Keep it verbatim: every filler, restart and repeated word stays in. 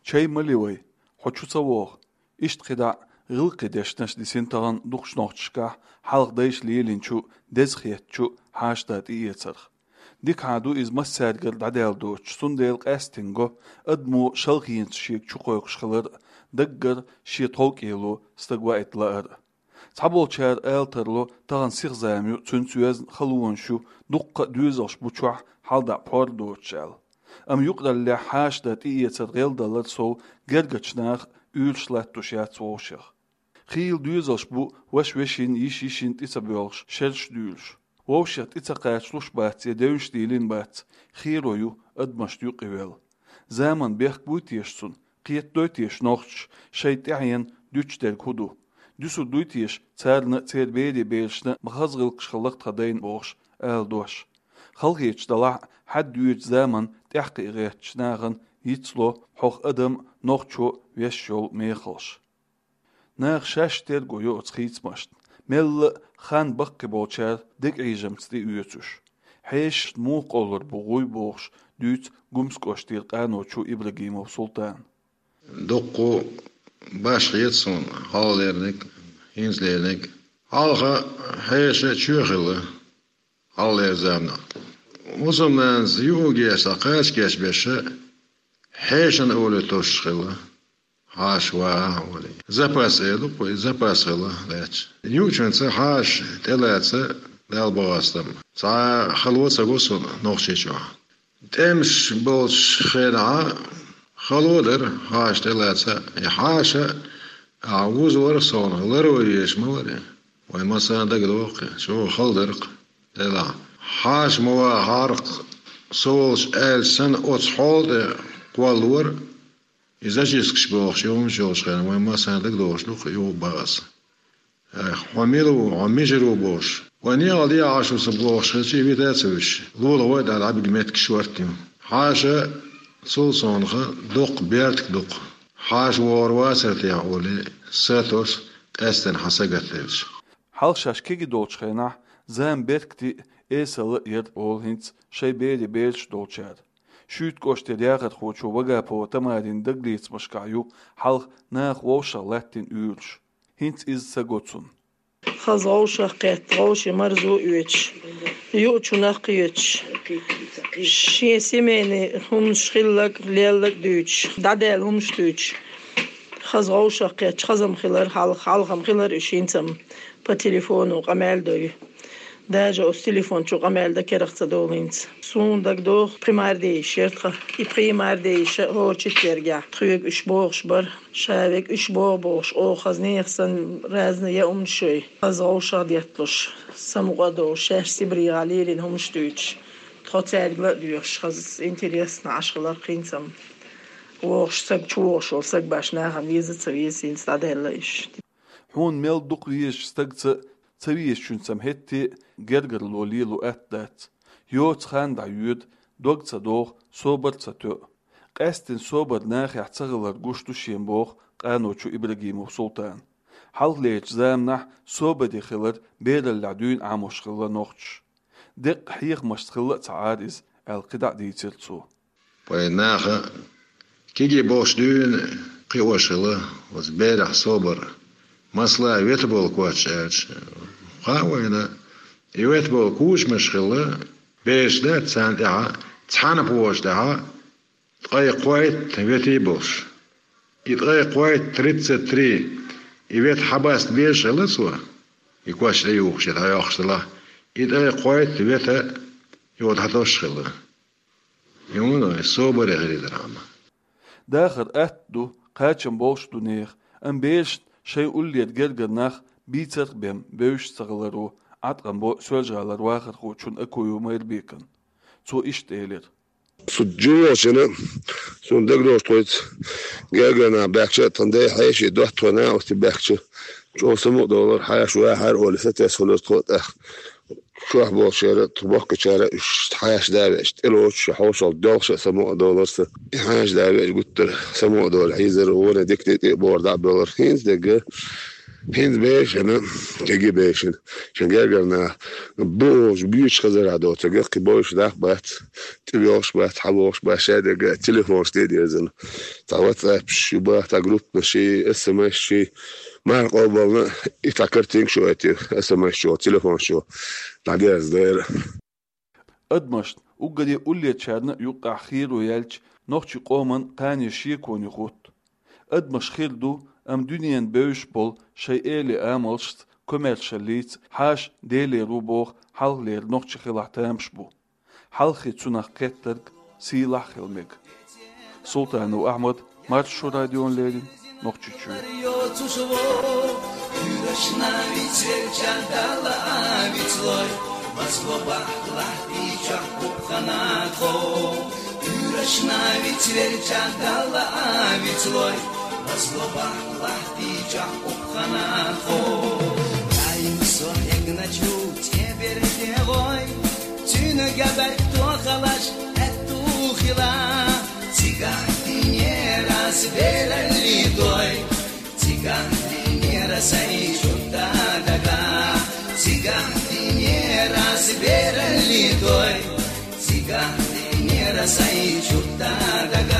«Чай ма ле вай, хьо чу ца вогӀу». Иштта кхидӀа гӀиллакхе дешнаш дисина тахана дукхачу нохчашкахь хьалха дайша лелийначу, деза хеттачу хьаша-да тӀеэцарх. Дика хьан ду иза массаьргара дӀадаьлла доцуш, цундела къаьстина го адамо шалхенца шега чукхойкхуш хилар а, даггара шен тховкӀело стаг ваийта лаар а. Цхьаболчара ала тарло, тахана сиха зама ю, цуьнца йоьзна халонаш ю, дуккха а доьзалш бу чохь хьалдӀа пхьор доцуш аьлла. Амма юкъараллехь хьаша-да тӀеэцар гӀелдалар сов гергарчу наха уьйраш латтош яц вовшех. Хийла доьзалш бу ваша вешин, йиша йишин тӀе ца боьлхуш, шераш дуьйлуш. Вовшех тӀе ца кхачалуш бац я девнаш дийлина бац, херо ю адамашна юкъевелла. Заман бехк буй теша цунна, кхетадой теша нохчаша шайн тӀаьхьенна дуьтуш дерг хӀун ду? Дуьсур дуй теша царна а, церан берийн берашна а ма хаза гӀиллакхаш хилла-кх тхан дайна бохуш ала дош? Халахеташ далахь а, хьаьдда воьдучу заманна тӀаьхьакхиа гӀертачу нахана йицло хьох адам а, нохчо а веш йолу мехалш. Наха шаьш терго йо оцу хийцамашна, мелла а хан баккхий болчара дегӀийжамца тӀеоьцуш. Хьешашна муха къовлур бу гӀуй бохуш дуьйцу Гумскоштера къаночо Ибрагимов Султана. Дуккха башха хета суна, хьалха лерниг, хӀинца лерниг. Хьалха хьеша чоь хилла, хьалхалера заманахь. Мусульманца юхагеш, кхача гечбеш, хьешана олий тосуш хилла. Хьаша ваха а олий. Запас эр ду-кх вай, запас хилла лаьтташ. Юучуьнца хьаша тӀелаца Далла бахастам. Цхьа хало ца го суна Нохчийчохь. ТӀемаш болчу хенахь хало дара хьаша тӀелаца. И хьаша ахь вузор а совнах ларо езаш ма вара. Вайн массарна дагадогӀу-кх, чӀогӀа хала дара-кх, делахь. Хьаша ма вахахьара-кх со волчу аьлча санна, оцу хьола тӀе кхоллора, и зачисткаш бохуш, юхамаш йолчу хенахь, вайн массарна дагадогӀуш ду-кх, юха баха аса. Эх, хьо мила ву, хьо мичара ву бохуш. Вайн некъал дехьа Ӏаш ву сан бохуш хилча, и вита а ца вуьтуш, лулахой а даьлла, дӀабига меттиг шортта ю. Хьаша цул совнаха доккха бертиг ду-кх. Хьаша вогӀур вацара техьа олий, сатош, къаьсттина хьан сагатделча. Хьалха шаьш кегий долчу хенахь зама беркате а, эсала а яра олу хӀинца шайн берийн бераш долчара. Шуьйткан кӀоштара яхархочо Вагапова Тамарин дагалецамашкахь ю хьалха наха вовшах латтийна уьйраш. ХӀинца иза ца го цунна. Хаза вовшах кхетта, вовшийн марзо оьцуш, юучу нах кхеташ, шен семейный хӀуманаш хилларг, лелларг дуьйцуш, дӀадаьлла хӀуманаш дуьйцуш. Хаза вовшах кхетча, хаза-м хилар хьалха, хьалха-м хилар уьш хӀинца-м по телефону къамел дой. Даже оцу телефон чу къамел дан керах ца долу хӀинца. Суна дагадогӀу, пхи марде йиша яра тхан. И пхи марде йиша хӀора четвергехь тхоьга уьш бохуш бара. Ша вега уьш боху бохуш, оха хаза нехан санна разные я хӀуманаш йой. Хаза вовшах детталуш, самукъа а долуш, шаьш Сибрехахь лелийна хӀуманаш дуьйцуш. Тхо цаьрга ла а доьхуш, хаза интересно Ӏаш хилар-кх хӀинца-м. ВогӀуш саг, чувогӀуш волу саг башха нахана веза а ца веза, хӀинца дӀадаьлла уьш. Хьуна мел дукха везачу стагца а, ца везачуьнца-м хӀетте а гергарло лело атта дац. Йоцу хан дӀайоьду, дог ца доху, собар а ца тоьу. Къаьсттина собар нахехь ца хилар гуш ду шена боху къаночо Ибрагимов Султана. Хьалхалерчу заманахь собаре хилар бераллехь дуьйна Ӏамош хилла нохчаша. Деккъа хьехамашца хилла а ца Ӏара иза, аьлла кхидӀа а дийцира цо. Вайн наха кегий болуш дуьйна кхиош хилла оцу берех собар. Масала, вета болу коч аьлча, хаьа вайна, и вета болу кучамаш хилла, бераш дац царна тӀехьа, цхьана пхьоша тӀехьа ткъе кхойтта ветий болуш. И ткъе кхойтта, тридцать три, и вета хьабаста безаш хилла цо, и коч тӀеюхуш я дӀайоккхуш делахь, и ткъе кхойтта вета йода хьатосуш хилла. Юна собаре хилийтархьама. Дахар атта ду, кхачам болуш ду нехан, амма берашна шайн уллера гергара нах бийцарх а бен бевзаш ца хиларо Ӏаткъам бо Соьлжа-ГӀалара вахархочун Акуев Майрбекан. Цо иштта элира. Цу жимачунна суна дагадогӀуш тхоьца гергара нах баьхча а, тхан дай хьеший доттагӀий нах оцу баьхча, чӀогӀа самукъа долура, хьаша вахьара олий, сатесна хуьлура тхо а тӀаккха. Чохь болчара, тхо бохкучара уьш хьаша да веача, тӀелоцуш, хьошалгӀа доьлхуш а самукъа долура сан. И хьаша да веача гуттара самукъа долу хьийзара, вон дика тӀе а бохура дӀа а боьлура. ХӀинца дерг ХӀинца бешана, кегий бешана. Шун гергара нах бу олуш, буьйцуш хазар а доцург, кхин бойуш нах бац, тӀевоьлхуш бац, хьавоьлхуш бац, шадерг а телефонаш тӀе а дерзана. Цхьа WhatsApp-ш ю баха, цхьа группанаш, СМС-ш, марха къобална, и цхьа картинка шу оьттий, СМС-чо, телефон-чо, дӀадерзадара. Адамашна, уггаре уллерчарна а юккъехь херо яьлча, нохчийн къоман кхане шеконе хӀутту. Адамаш хир ду, амма дуьненан бевзаш болу шайн эли амалшца, комаьршаллица хьаша Делера ву боху хьалхалера нохчи хилахь тамаш бу. Хьалххе цунах кхеттарг сийлахь а хила мега. Султанов Ахьмад, Маршо радиона леррина, Нохчийчоь. Йоцуш ву, уьйраш навиц велча Далла а вицлой, мазло бахлахь дийчохь пупхана тхо. Уьйраш навиц велча Далла а вицлой, мазло бахлахь дийчохь пупхана тхо. Даим со хьегначу тӀеберте гӀой, цуьнан габарг тохалаш аьтту хила. Цигахь динера ас бералли дой, цигахь динера сайн чутта дага. Цигахь динера ас бералли дой, цигахь динера сайн чутта дага.